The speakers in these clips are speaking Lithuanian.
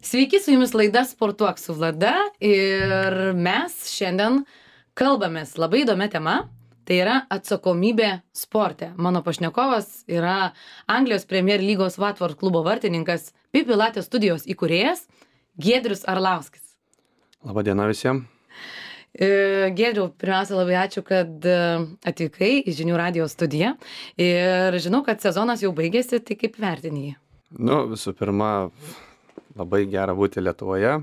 Sveiki, su jumis laida Sportuok su Vlada ir mes šiandien kalbamės labai įdomia tema, tai yra atsakomybė sporte. Mano pašnekovas yra Anglijos Premier lygos Watford klubo vartininkas, Pilates studijos įkūrėjas Giedrius Arlauskis. Labadiena visiems. Giedriau, pirmiausia, labai ačiū, kad atvykai į Žinių radijo studiją ir žinau, kad sezonas jau baigėsi, tai kaip vertini jį? Visų pirma, labai gera būti Lietuvoje.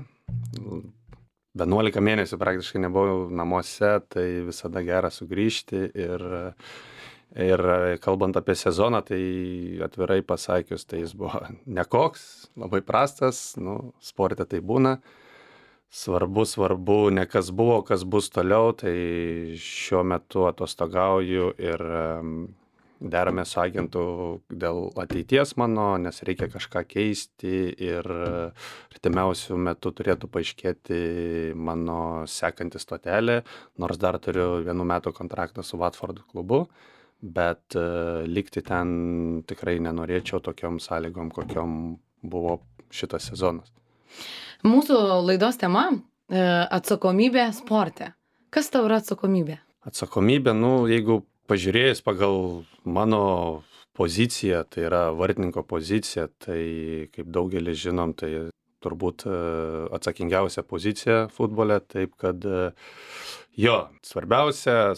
11 mėnesių praktiškai nebuvau namuose, tai visada gera sugrįžti ir kalbant apie sezoną, tai atvirai pasakius, tai jis buvo nekoks, labai prastas, sporte tai būna. Svarbu, ne kas buvo, kas bus toliau, tai šiuo metu atostogauju ir derame su agentu dėl ateities mano, nes reikia kažką keisti ir artimiausių metų turėtų paaiškėti mano sekanti stotelė, nors dar turiu 1 metų kontraktą su Watford klubu, bet likti ten tikrai nenorėčiau tokiom sąlygom, kokiom buvo šitas sezonas. Mūsų laidos tema atsakomybė sporte. Kas tau yra atsakomybė? Atsakomybė, jeigu pažiūrėjus pagal mano poziciją, tai yra vartininko pozicija, tai kaip daugelis žinom, tai turbūt atsakingiausia pozicija futbole, taip kad svarbiausia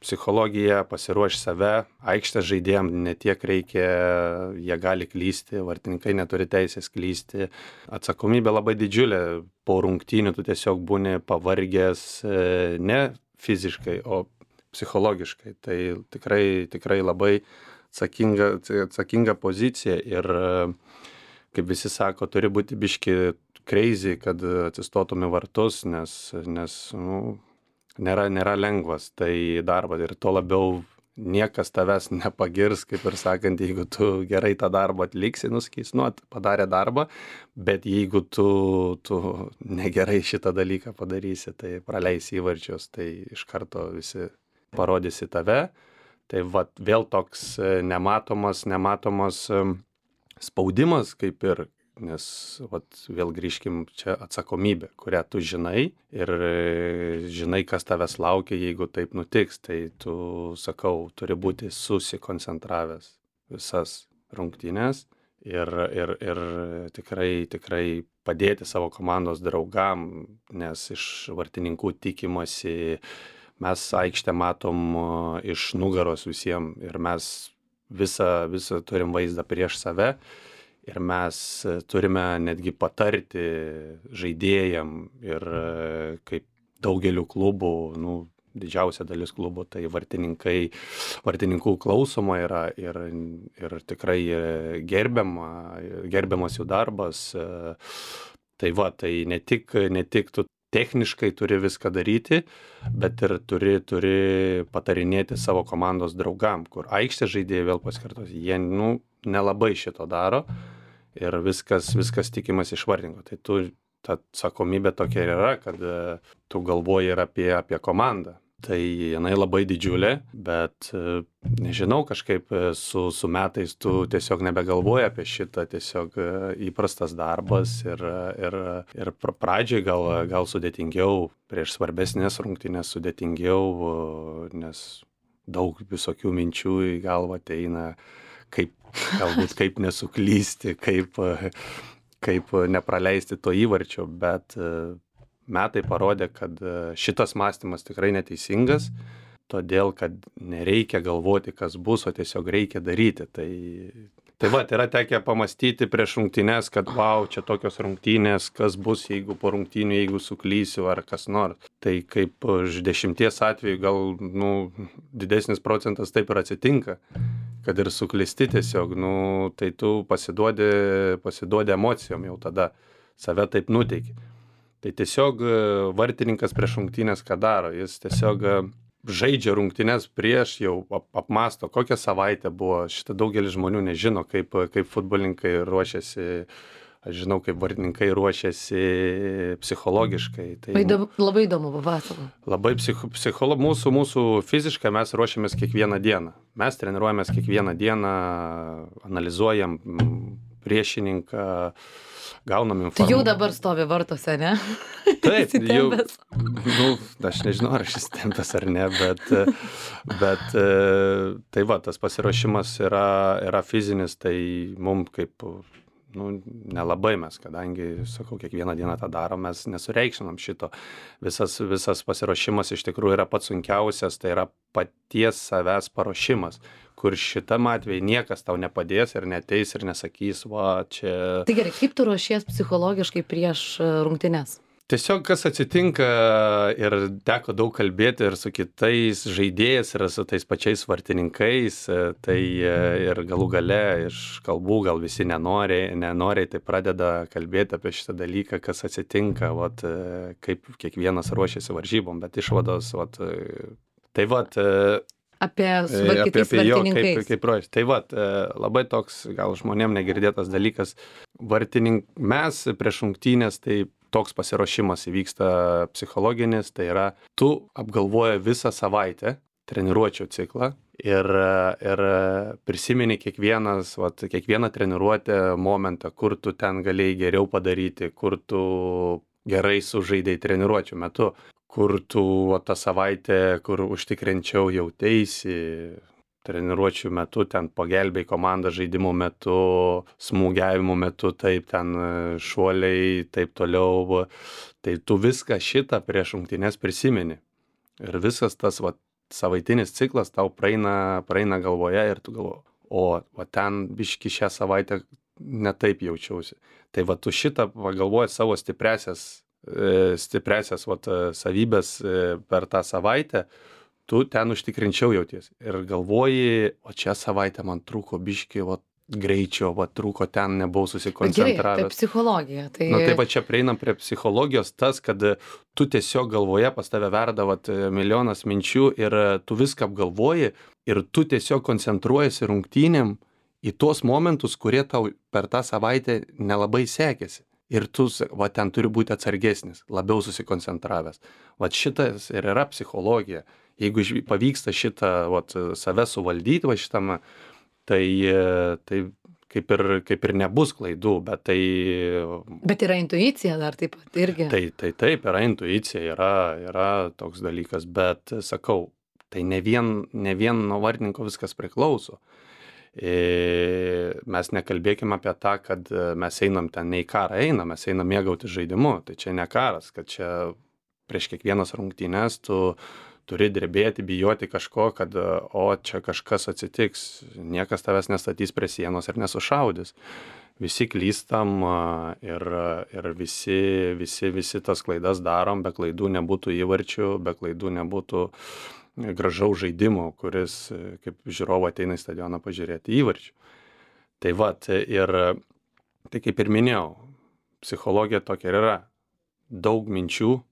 psichologija, pasiruoš save, aikštės žaidėjam ne tiek reikia, jie gali klysti, vartininkai neturi teisės klysti, atsakomybė labai didžiulė, po rungtynių tu tiesiog būni pavargęs ne fiziškai, o psichologiškai, tai tikrai labai atsakinga pozicija ir kaip visi sako, turi būti biški crazy, kad atsistotum į vartus, nes nėra lengvas tai darbas ir tuo labiau niekas tavęs nepagirs, kaip ir sakant, jeigu tu gerai tą darbą atliksi, nusakys, padarė darbą, bet jeigu tu negerai šitą dalyką padarysi, tai praleisi įvarčius, tai iš karto visi parodysi tave, tai vėl toks nematomas spaudimas kaip ir, nes vėl grįžkim čia atsakomybė, kurią tu žinai ir žinai, kas tavęs laukia, jeigu taip nutiks, tai tu, sakau, turi būti susikoncentravęs visas rungtynes ir tikrai padėti savo komandos draugam, nes iš vartininkų tikimasi, mes aikštę matom iš nugaros visiems ir mes visą turim vaizdą prieš save ir mes turime netgi patarti žaidėjam ir kaip daugeliu klubų, didžiausia dalis klubų, tai vartininkų klausoma yra ir tikrai gerbiamas jų darbas. Tai ne tik tu techniškai turi viską daryti, bet ir turi patarinėti savo komandos draugam, kur aikštės žaidėjai vėl pasikartos, jie nelabai šito daro ir viskas tikimas iš vartininko. Tai ta atsakomybė tokia ir yra, kad tu galvoji ir apie komandą. Tai jinai labai didžiulė, bet nežinau, kažkaip su metais tu tiesiog nebegalvoji apie šitą, tiesiog įprastas darbas ir pradžiai gal sudėtingiau, prieš svarbesnės rungtynės sudėtingiau, nes daug visokių minčių į galvą ateina, kaip nesuklysti, kaip nepraleisti to įvarčio, bet metai parodė, kad šitas mąstymas tikrai neteisingas, todėl, kad nereikia galvoti, kas bus, o tiesiog reikia daryti. Tai yra tekę pamastyti prieš rungtynes, kad čia tokios rungtynės, kas bus, jeigu po rungtynių, jeigu suklysiu ar kas nors. Tai kaip iš 10 atvejų gal didesnis procentas taip ir atsitinka, kad ir suklysti tiesiog, tai tu pasiduodi emocijom jau tada, save taip nuteiki. Tai tiesiog vartininkas prieš rungtynes ką daro, jis tiesiog žaidžia rungtynes prieš, jau apmąsto, kokią savaitę buvo, šitą daugelis žmonių nežino, kaip futbolininkai ruošiasi, aš žinau, kaip vartininkai ruošiasi psichologiškai. Tai, labai įdomu, papasakok. Labai mūsų fiziškai mes ruošiamės kiekvieną dieną. Mes treniruojamės kiekvieną dieną, analizuojam priešininką, gaunam Tai jau informaciją. dabar stovi vartuose, ne? Taip, jau, Įsitempęs. aš nežinau, ar aš įsitempęs ar ne, bet tai va, tas pasiruošimas yra fizinis, tai mum kaip, nelabai mes, kadangi, sakau, kiekvieną dieną tą darom, mes nesureikšminam šito. Visas pasiruošimas iš tikrųjų yra pats sunkiausias, tai yra paties savęs paruošimas, kur šitam atveju niekas tau nepadės ir neteis ir nesakys, va, čia... Tai gerai, kaip tu ruošies psichologiškai prieš rungtynes? Tiesiog kas atsitinka ir teko daug kalbėti ir su kitais žaidėjais ir su tais pačiais vartininkais, tai ir galų gale iš kalbų gal visi nenoriai tai pradeda kalbėti apie šitą dalyką, kas atsitinka, vat, kaip kiekvienas ruošiasi varžybom, bet išvados, vat, tai vat, Apie kitais vartininkais. Kaip ruoštis. Tai vat, labai toks gal žmonėm negirdėtas dalykas. Mes prieš rungtynes, tai toks pasiruošimas įvyksta psichologinis, tai yra, tu apgalvoji visą savaitę treniruočių ciklą ir prisimeni kiekvieną treniruotę momentą, kur tu ten galėjai geriau padaryti, kur tu gerai sužaidėjai treniruočių metu, kur tu tą savaitę, kur užtikrinčiau jauteisi treniruočių metu, ten pagelbėjai komandą žaidimų metu, smūgiavimų metu, taip ten šuoliai, taip toliau. Tai tu viską šitą prieš rungtynes prisimeni. Ir visas tas savaitinis ciklas tau praeina galvoje ir tu galvoji, o ten biški šią savaitę netaip jaučiausi. Tai tu šitą pagalvoji savo stipresias savybės per tą savaitę, tu ten užtikrinčiau jauties. Ir galvoji, o čia savaitę man trūko biški, greičio, trūko ten, nebuvau susikoncentravęs. Gerai, tai psichologija. Tai va čia prieinam prie psichologijos tas, kad tu tiesiog galvoje pas tave verda milijonas minčių ir tu viską apgalvoji ir tu tiesiog koncentruojasi rungtynėm į tuos momentus, kurie tau per tą savaitę nelabai sekėsi. Ir tu, ten turi būti atsargesnis, labiau susikoncentravęs. Šitas ir yra psichologija. Jeigu pavyksta šitą save suvaldyti šitam, tai kaip ir nebus klaidų, bet tai... Bet yra intuicija dar taip pat irgi. Taip, yra intuicija, yra toks dalykas, bet sakau, tai ne vien nuo vartininko viskas priklauso. Mes nekalbėkime apie tą, kad mes einam ten ne į karą mes einam mėgauti žaidimu, tai čia ne karas, kad čia prieš kiekvienas rungtynes tu turi drebėti, bijoti kažko, kad čia kažkas atsitiks, niekas tavęs nestatys prie sienos ir nesušaudys. Visi klystam ir visi tas klaidas darom, be klaidų nebūtų įvarčių, be klaidų nebūtų gražaus žaidimo, kuris kaip žiūrovo ateina į stadioną pažiūrėti įvarčių. Tai tai kaip ir minėjau, psichologija tokia ir yra. Daug minčių,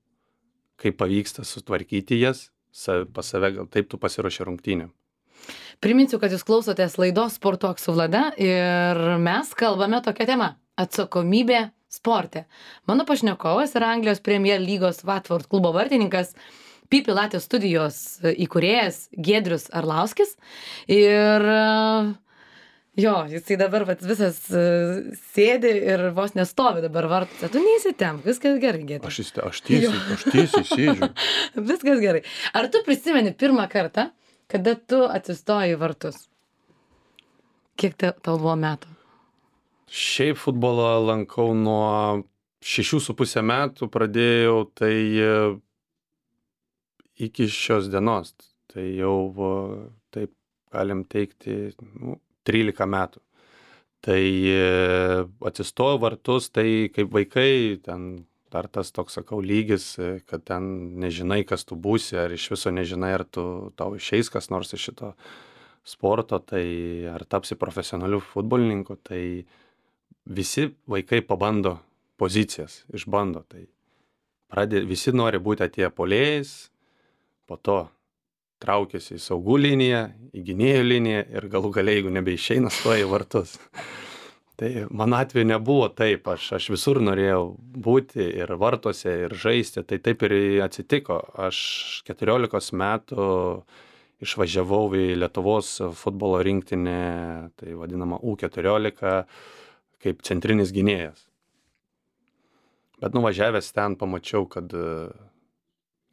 kaip pavyksta sutvarkyti jas, pas save gal taip tu pasiruoši rungtynėm. Priminsiu, kad jūs klausotės laidos Sportuok su Vlada ir mes kalbame tokia tema – atsakomybė sporte. Mano pašnekovas yra Anglijos Premier lygos Watford klubo vartininkas, Pilates studijos įkūrėjas Giedrius Arlauskis ir jisai dabar visas sėdi ir vos nestovi dabar vartuose. Tu neįsitemp, viskas gerai, Giedrius. Aš tiesiai sėdžiu. Viskas gerai. Ar tu prisimeni pirmą kartą, kada tu atsistojai į vartus? Kiek tau buvo metų? Šiaip futbolą lankau nuo 6,5 metų, pradėjau tai iki šios dienos. Tai jau, taip galim teikti, 13 metų. Tai atsistojo vartus, tai kaip vaikai, ten dar tas toks, sakau, lygis, kad ten nežinai, kas tu būsi, ar iš viso nežinai, ar tau išeis kas nors iš šito sporto, tai ar tapsi profesionaliu futbolininku, tai visi vaikai pabando pozicijas, išbando. Tai visi nori būti atėję puolėjais, po to traukiasi į saugų liniją, į gynėjų liniją ir galų gale, jeigu nebeišeina, stoja į vartus. Tai mano atveju nebuvo taip, aš visur norėjau būti ir vartuose, ir žaisti, tai taip ir atsitiko. Aš 14 metų išvažiavau į Lietuvos futbolo rinktinę, tai vadinama U14, kaip centrinis gynėjas. Bet nuvažiavęs ten pamačiau, kad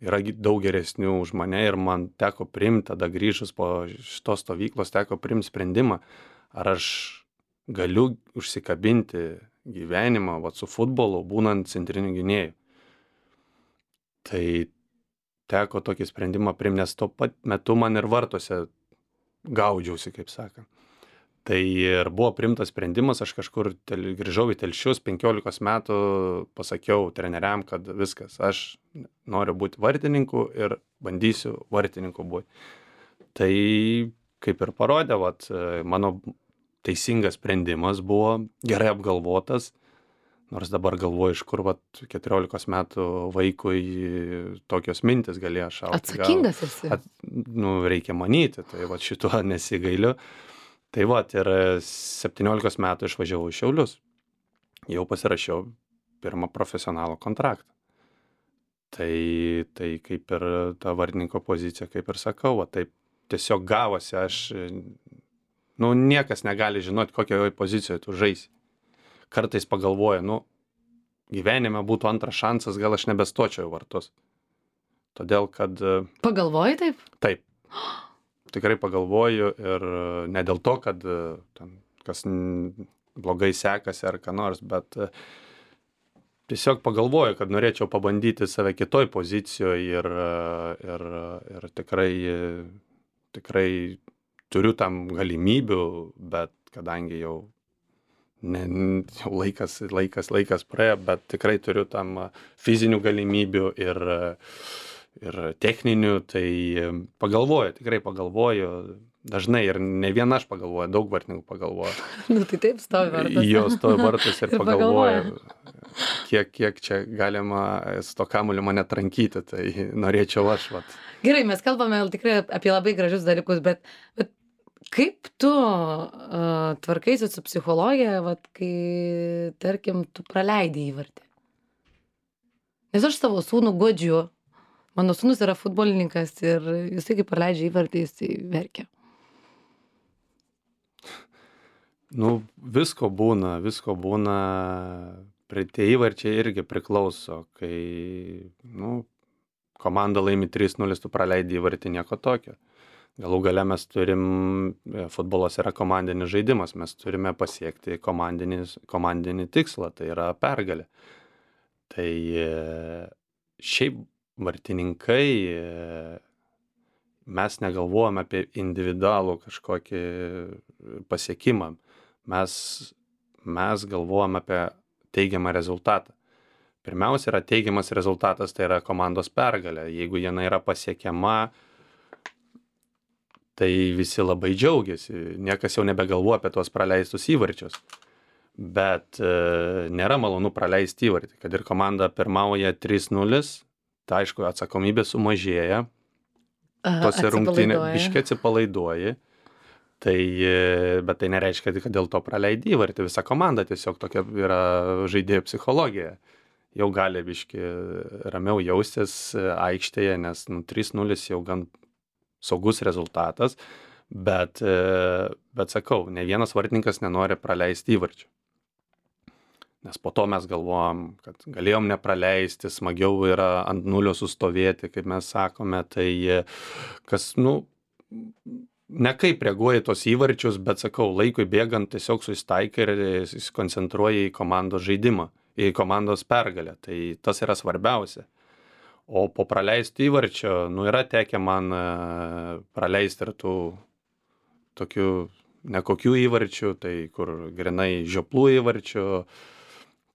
yra daug geresnių už mane ir man teko priimti, tada grįžus po šitos stovyklos teko priimti sprendimą, ar aš galiu užsikabinti gyvenimą su futbolu, būnant centriniu gynėju. Tai teko tokį sprendimą priimti, nes tuo pat metu man ir vartuose gaudžiausi, kaip sakant. Tai ir buvo priimtas sprendimas, aš kažkur grįžau į Telšius, 15 metų pasakiau treneriam, kad viskas, aš noriu būti vartininku ir bandysiu vartininku būti. Tai kaip ir parodė, mano teisingas sprendimas buvo gerai apgalvotas, nors dabar galvoju, iš kur 14 metų vaikui tokios mintis galėjo šauti. Atsakingas esi. Reikia manyti, tai šituo nesigailiu. Tai ir 17 metų išvažiavau į Šiaulius. Jau pasirašiau pirmą profesionalų kontraktą. Tai kaip ir ta vartininko pozicija, kaip ir sakau, taip tiesiog gavosi, niekas negali žinoti, kokioje pozicijoje tu žaisi. Kartais pagalvoju, gyvenime būtų antras šansas, gal aš nebestočiau vartus. Todėl, kad... Pagalvoji taip? Taip. Tikrai pagalvoju ir ne dėl to, kad ten kas blogai sekasi ar ką nors, bet tiesiog pagalvoju, kad norėčiau pabandyti save kitoj pozicijoje ir tikrai turiu tam galimybių, bet kadangi jau laikas praėjo, bet tikrai turiu tam fizinių galimybių ir techninių, tai tikrai pagalvoju, dažnai ir ne viena aš pagalvoju, daug vartininkų pagalvoju. Tai taip stovi vartas. Jo stovi vartas ir pagalvoju, kiek čia galima su to kamuoliu mane trankyti, tai norėčiau aš. Gerai, mes kalbame tikrai apie labai gražius dalykus, bet kaip tu tvarkaisi su psichologija, kai, tarkim, tu praleidi įvartį? Nes aš savo sūnų guodžiu. Mano sūnus yra futbolininkas ir jisai, kai praleidžia įvartį, jisai verkia. Visko būna. Tie įvarčiai irgi priklauso, kai komanda laimi 3-0, tu praleidi įvartį, nieko tokio. Galų gale mes futbolas yra komandinis žaidimas, mes turime pasiekti komandinį tikslą, tai yra pergalė. Tai šiaip vartininkai, mes negalvojame apie individualų kažkokį pasiekimą, mes galvojame apie teigiamą rezultatą. Pirmiausia yra teigiamas rezultatas, tai yra komandos pergalė. Jeigu jinai yra pasiekiama, tai visi labai džiaugiasi, niekas jau nebegalvoja apie tuos praleistus įvarčius. Bet nėra malonu praleisti įvartį, kad ir komanda pirmauja 3-0, tai aišku, atsakomybė sumažėja, tose rungtynėse biškį atsipalaiduoji, bet tai nereiškia, kad dėl to praleidi įvartį. Visa komanda tiesiog tokia yra žaidėjų psichologija. Jau gali biškį ramiau jaustis aikštėje, nes 3-0 jau gan saugus rezultatas, bet sakau, ne vienas vartininkas nenori praleisti įvarčių. Nes po to mes galvojam, kad galėjom nepraleisti, smagiau yra ant nulio sustovėti, kaip mes sakome, tai kas, nekaip reaguoja tos įvarčius, bet sakau, laikui bėgant tiesiog susitaikai ir susikoncentruoja į komandos žaidimą, į komandos pergalę, tai tas yra svarbiausia. O po praleisti įvarčio, yra tekę man praleisti ir tų tokių nekokių įvarčių, tai kur grinai žioplų įvarčių,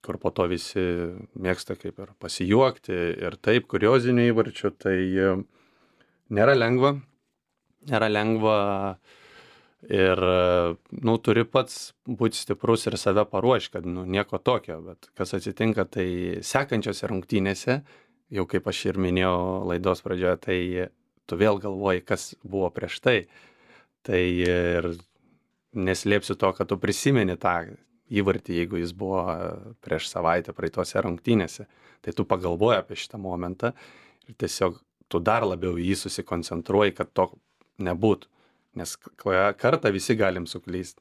kur po to visi mėgsta kaip ir pasijuokti ir taip, kuriozinių įvarčių, tai nėra lengva ir, turi pats būti stiprus ir save paruošti, kad, nieko tokio, bet kas atsitinka, tai sekančiose rungtynėse, jau kaip aš ir minėjau laidos pradžioje, tai tu vėl galvoji, kas buvo prieš tai ir neslėpsiu to, kad tu prisimeni tą įvartį, jeigu jis buvo prieš savaitę praeitose rungtynėse, tai tu pagalvoji apie šitą momentą ir tiesiog tu dar labiau jį susikoncentruoji, kad to nebūtų, nes kartą visi galim suklysti,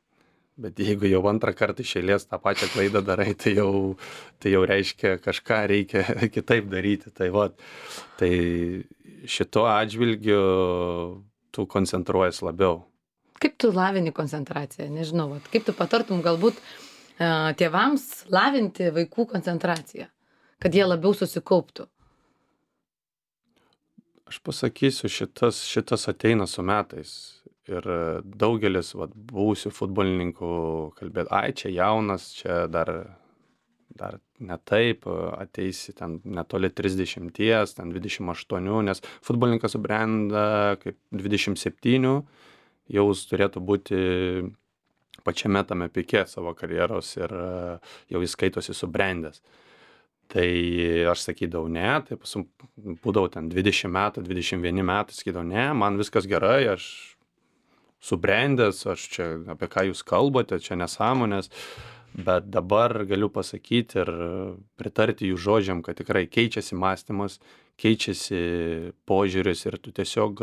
Bet jeigu jau antrą kartą iš eilės tą pačią klaidą darai, tai jau reiškia kažką reikia kitaip daryti. Tai va, tai šito atžvilgiu tu koncentruojas labiau. Kaip tu lavini koncentraciją? Nežinau, vat, kaip tu patartum galbūt tėvams lavinti vaikų koncentraciją, kad jie labiau susikauptų? Aš pasakysiu, šitas ateina su metais. Ir daugelis buvusių futbolininkų kalbėt, ai, čia jaunas, čia dar ne taip, ateisi ten netoli 30, ten 28, nes futbolininkas subrenda kaip 27, jau jis turėtų būti pačiame tame pike savo karjeros ir jau jis skaitosi subrendęs. Tai aš sakydavau, ne, tai būdavau ten 20 metų, 21 metų, sakydavau, ne, man viskas gerai, aš subrendęs, aš čia apie ką jūs kalbate, čia nesąmonės, bet dabar galiu pasakyti ir pritarti jų žodžiam, kad tikrai keičiasi mąstymas, keičiasi požiūris ir tu tiesiog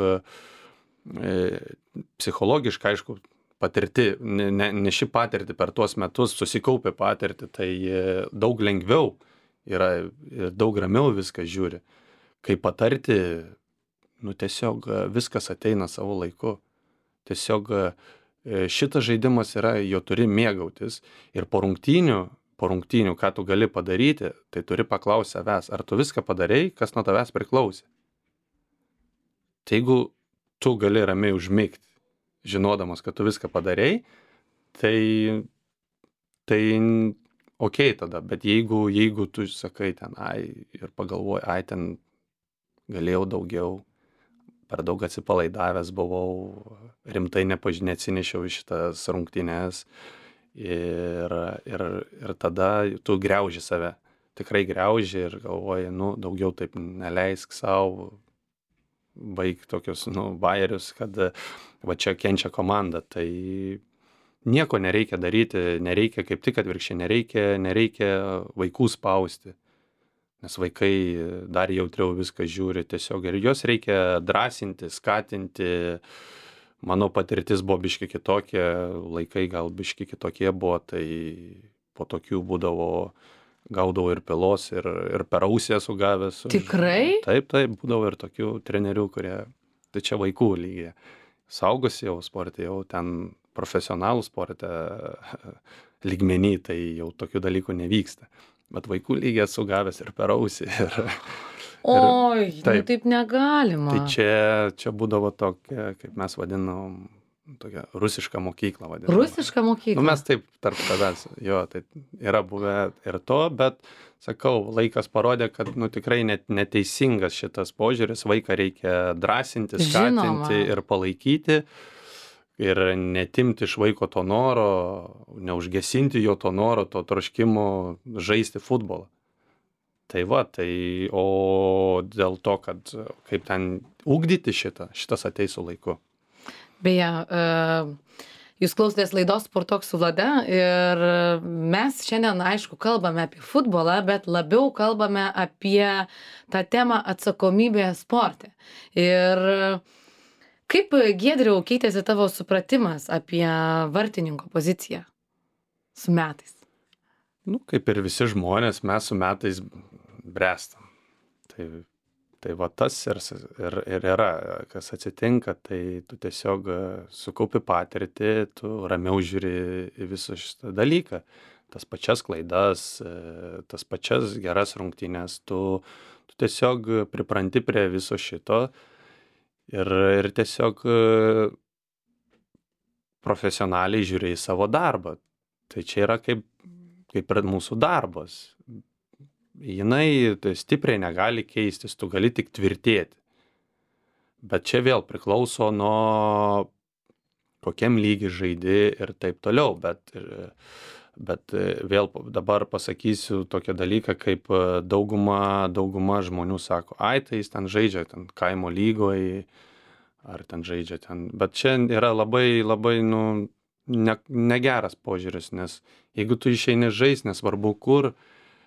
psichologiškai, aišku, patirti, neši patirti per tuos metus, susikaupė patirti, tai daug lengviau yra ir daug ramiau viską žiūri. Kai patarti, tiesiog viskas ateina savo laiku. Tiesiog šitas žaidimas yra, jo turi mėgautis ir po rungtynių, ką tu gali padaryti, tai turi paklausti savęs, ar tu viską padarei, kas nuo tavęs priklausė. Tai jeigu tu gali ramiai užmigti, žinodamas, kad tu viską padarei, tai okei tada, bet jeigu tu sakai ten, ir pagalvoji, ten galėjau daugiau, per daug atsipalaidavęs buvau, rimtai neatsinešiau į šitas rungtynes ir tada tu griauži save. Tikrai griauži ir galvoji, daugiau taip neleisk savo, baig tokius, bajerius, kad va čia kenčia komanda. Tai nieko nereikia daryti, nereikia kaip tik atvirkščiai, nereikia vaikų spausti. Nes vaikai dar jautriau viską žiūri tiesiog ir juos reikia drąsinti, skatinti. Mano patirtis buvo biški kitokia, laikai gal biški kitokie buvo, tai po tokių gaudavau ir pilos, ir per ausį esu gavęs. Tikrai? Taip, būdavo ir tokių trenerių, kurie, tai čia vaikų lygiai. Saugosi jau sporte, jau ten profesionalų sporte lygmenį, tai jau tokių dalykų nevyksta. Bet vaikų lygiai esu gavęs ir per ausį. Oi, taip negalima. Tai čia būdavo tokia, kaip mes vadinom, tokia rusiška mokykla vadinama. Rusiška mokykla? Mes taip tarp savęs, jo, tai yra buvę ir to, bet, sakau, laikas parodė, kad tikrai neteisingas šitas požiūris, vaiką reikia drąsinti, skatinti ir palaikyti. Ir netimti iš vaiko to noro, neužgesinti jo to noro, to troškimo žaisti futbolą. Tai o dėl to, kad kaip ten ugdyti šitas ateis su laiku. Beje, jūs klausotės laidos Sportuok su Vlada ir mes šiandien, aišku, kalbame apie futbolą, bet labiau kalbame apie tą temą atsakomybė sporte. Ir kaip, Giedriau, keitėsi tavo supratimas apie vartininko poziciją su metais? Kaip ir visi žmonės, mes su metais bręstam. Tai tas ir yra, kas atsitinka, tai tu tiesiog sukaupi patirtį, tu ramiau žiūri į visą šitą dalyką. Tas pačias klaidas, tas pačias geras rungtynes, tu tiesiog pripranti prie viso šito. Ir tiesiog profesionaliai žiūri į savo darbą. Tai čia yra kaip ir mūsų darbas. Jinai stipriai negali keistis, tu gali tik tvirtėti. Bet čia vėl priklauso nuo kokiam lygi žaidi ir taip toliau. Bet vėl dabar pasakysiu tokią dalyką, kaip dauguma žmonių sako, tai jis ten žaidžia ten kaimo lygoje, ar ten žaidžia ten. Bet čia yra labai negeras požiūris, nes jeigu tu išeini žaist, nesvarbu kur,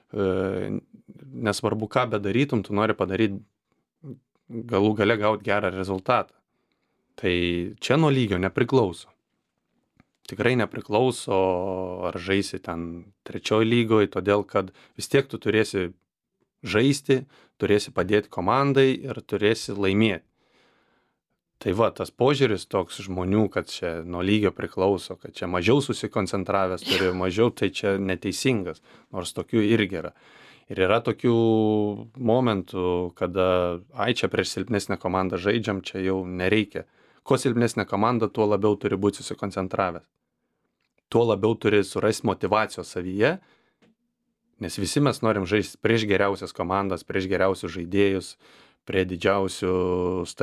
nesvarbu ką bedarytum, tu nori padaryti galų gale gauti gerą rezultatą. Tai čia nuo lygio nepriklauso. tikrai nepriklauso, ar žaisi ten 3 lygoje, todėl kad vis tiek tu turėsi žaisti, turėsi padėti komandai ir turėsi laimėti. Tai va, tas požiūris toks žmonių, kad čia nuo lygio priklauso, kad čia mažiau susikoncentravęs turi, mažiau, tai čia neteisingas, nors tokių irgi yra. Ir yra tokių momentų, kada, čia prieš silpnesnę komandą žaidžiam, čia jau nereikia. Kuo silpnesnė komanda, tuo labiau turi būti susikoncentravęs. Tuo labiau turi surasti motyvacijos savyje, nes visi mes norim žaisti prieš geriausias komandas, prieš geriausius žaidėjus, prie didžiausiuose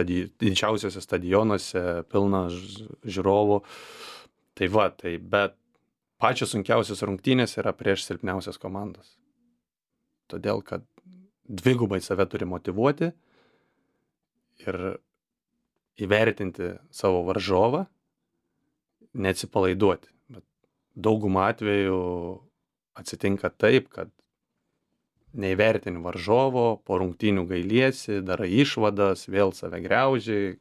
stadionuose, pilna žiūrovų. Tai va, bet pačios sunkiausios rungtynės yra prieš silpniausias komandas. Todėl, kad dvigubai save turi motyvuoti ir įvertinti savo varžovą, neatsipalaiduoti. Bet daugumą atvejų atsitinka taip, kad neįvertini varžovo, po rungtynių gailiesi, darai išvadas, vėl save griauži,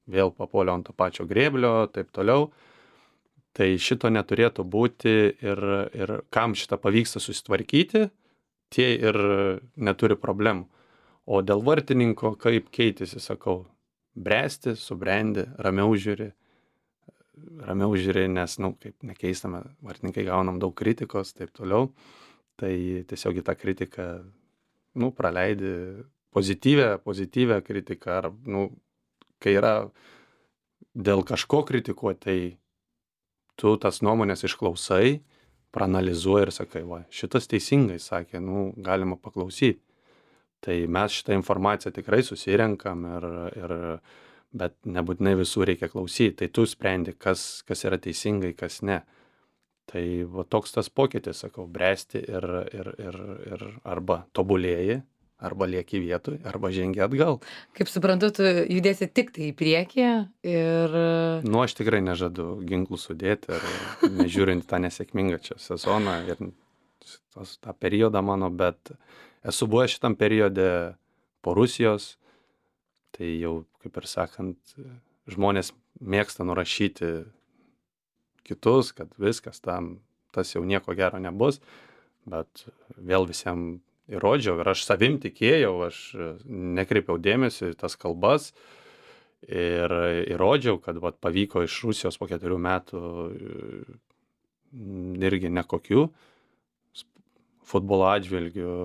vėl papuolė ant to pačio grėblio, taip toliau. Tai šito neturėtų būti ir kam šitą pavyksta susitvarkyti, tie ir neturi problemų. O dėl vartininko, kaip keitėsi, sakau, bręsti, subrendi, ramiau žiūri, nes, kaip nekeistame, vartininkai gaunam daug kritikos, taip toliau. Tai tiesiog į tą kritiką, praleidi pozityvę kritiką, ar, kai yra dėl kažko kritikuoti, tai tu tas nuomonės išklausai, praanalizuoji ir sakai, va, šitas teisingai sakė, galima paklausyti. Tai mes šitą informaciją tikrai susirenkam, bet nebūtinai visų reikia klausyti. Tai tu sprendi, kas yra teisingai, kas ne. Tai va, toks tas pokytis, sakau, bręsti ir arba tobulėji, arba lieki vietoj, arba žengi atgal. Kaip suprantu, tu judėsi tik tai į priekį ir... Aš tikrai nežadu ginklų sudėti, nežiūrint tą nesėkmingą čia sezoną ir tą periodą mano, bet esu buvęs šitam periode po Rusijos, tai jau, kaip ir sakant, žmonės mėgsta nurašyti kitus, kad viskas tas jau nieko gero nebus, bet vėl visiems įrodžiau ir aš savim tikėjau, aš nekreipiau dėmesio į tas kalbas ir įrodžiau, kad pavyko iš Rusijos po 4 metų irgi nekokių futbolo atžvilgių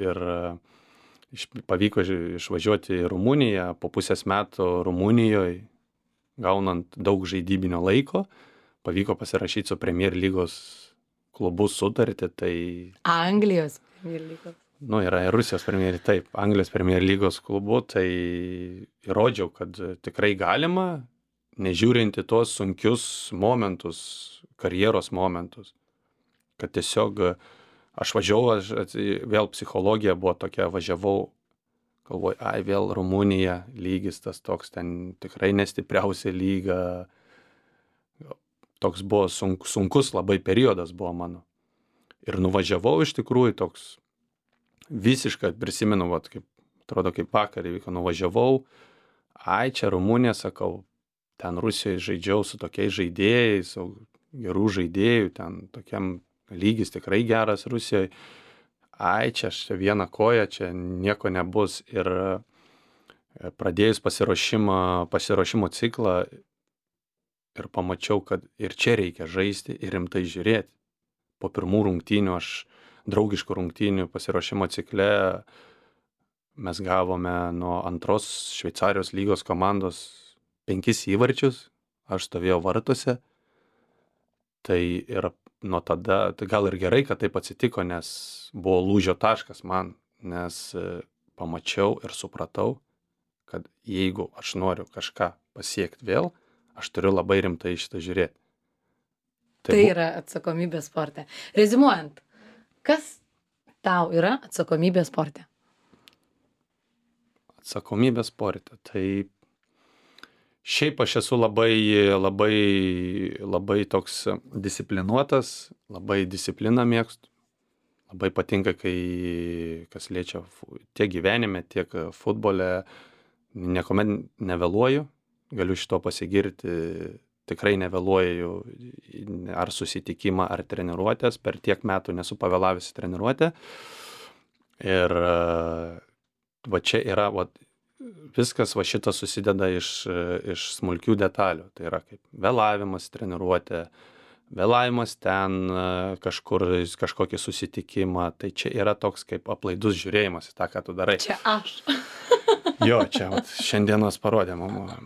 ir pavyko išvažiuoti į Rumuniją, po pusės metų Rumunijoje, gaunant daug žaidybinio laiko, pavyko pasirašyti su Premier lygos klubu sutartį, tai... Anglijos Premier lygos. Yra ir Rusijos Premier, taip, Anglijos Premier lygos klubu, tai įrodžiau, kad tikrai galima, nežiūrinti tuos sunkius momentus, karjeros momentus, kad tiesiog aš važiavau, vėl psichologija buvo tokia, važiavau, galvoju, vėl Rumunija, lygis tas toks, ten tikrai nestipriausia lyga, toks buvo sunkus labai periodas buvo mano. Ir nuvažiavau iš tikrųjų toks visiškai, prisimenu, atrodo kaip vakar įvyko, nuvažiavau, čia Rumunija, sakau, ten Rusijoje žaidžiau su tokiais žaidėjais, gerų žaidėjų, ten tokiam lygis tikrai geras Rusijoje, čia viena koja, čia nieko nebus. Ir pradėjus pasiruošimo ciklą, ir pamačiau, kad ir čia reikia žaisti ir rimtai žiūrėti. Po pirmų rungtynių, draugiškų rungtynių pasiruošimo cikle, mes gavome nuo antros Šveicarijos lygos komandos 5 įvarčius, aš stovėjau vartuose. Tai ir nuo tada, tai gal ir gerai, kad taip atsitiko, nes buvo lūžio taškas man, nes pamačiau ir supratau, kad jeigu aš noriu kažką pasiekti vėl, aš turiu labai rimtai šitą žiūrėti. Tai yra atsakomybė sporte. Rezimuojant, kas tau yra atsakomybė sporte? Atsakomybė sporte. Tai šiaip aš esu labai toks disciplinuotas, labai discipliną mėgstu. Labai patinka, kai kas liečia tiek gyvenime, tiek futbole, niekuomet nevėluoju. Galiu šito pasigirti tikrai nevėluoju ar susitikimą, ar treniruotės, per tiek metų nesu pavėlavęs į treniruotę. Ir va čia yra, va, viskas va šitas susideda iš smulkių detalių. Tai yra kaip vėlavimas treniruotė, vėlavimas ten kažkokį susitikimą. Tai čia yra toks kaip aplaidus žiūrėjimas į tą, ką tu darai. Čia aš. Jo, čia vat, šiandienos parodė mama.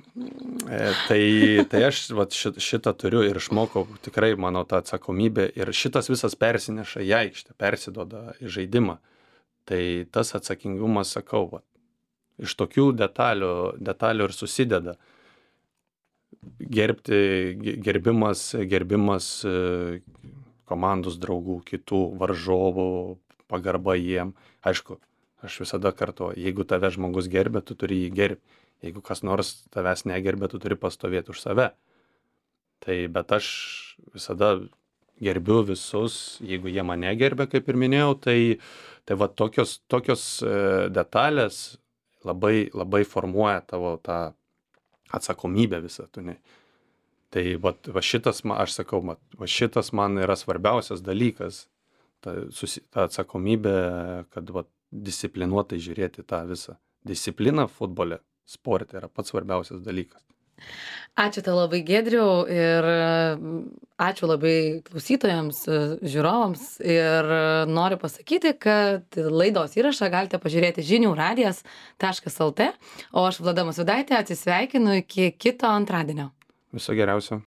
Tai aš vat, šitą turiu ir išmokau, tikrai mano ta atsakomybė ir šitas visas persineša į aikštę, persiduoda į žaidimą. Tai tas atsakingumas, sakau, vat, iš tokių detalių ir susideda. Gerbimas komandos draugų, kitų varžovų, pagarba jiem. Aišku, aš visada kartuoju, jeigu tave žmogus gerbia, tu turi jį gerbti. Jeigu kas nors tavęs negerbia, tu turi pastovėti už save. Tai bet aš visada gerbiu visus, jeigu jie mane gerbia, kaip ir minėjau, tai va tokios detalės labai formuoja tavo tą atsakomybę visą, tu ne. Tai va šitas, aš sakau, va šitas man yra svarbiausias dalykas, ta atsakomybė, kad va disciplinuotai žiūrėti tą visą. Disciplina futbole, sporte yra pats svarbiausias dalykas. Ačiū tau labai, Giedriau, ir ačiū labai klausytojams, žiūrovams, ir noriu pasakyti, kad laidos įrašą galite pažiūrėti žiniųradijas.lt, o aš Vlada Musvydaitė atsisveikinu iki kito antradienio. Viso geriausio.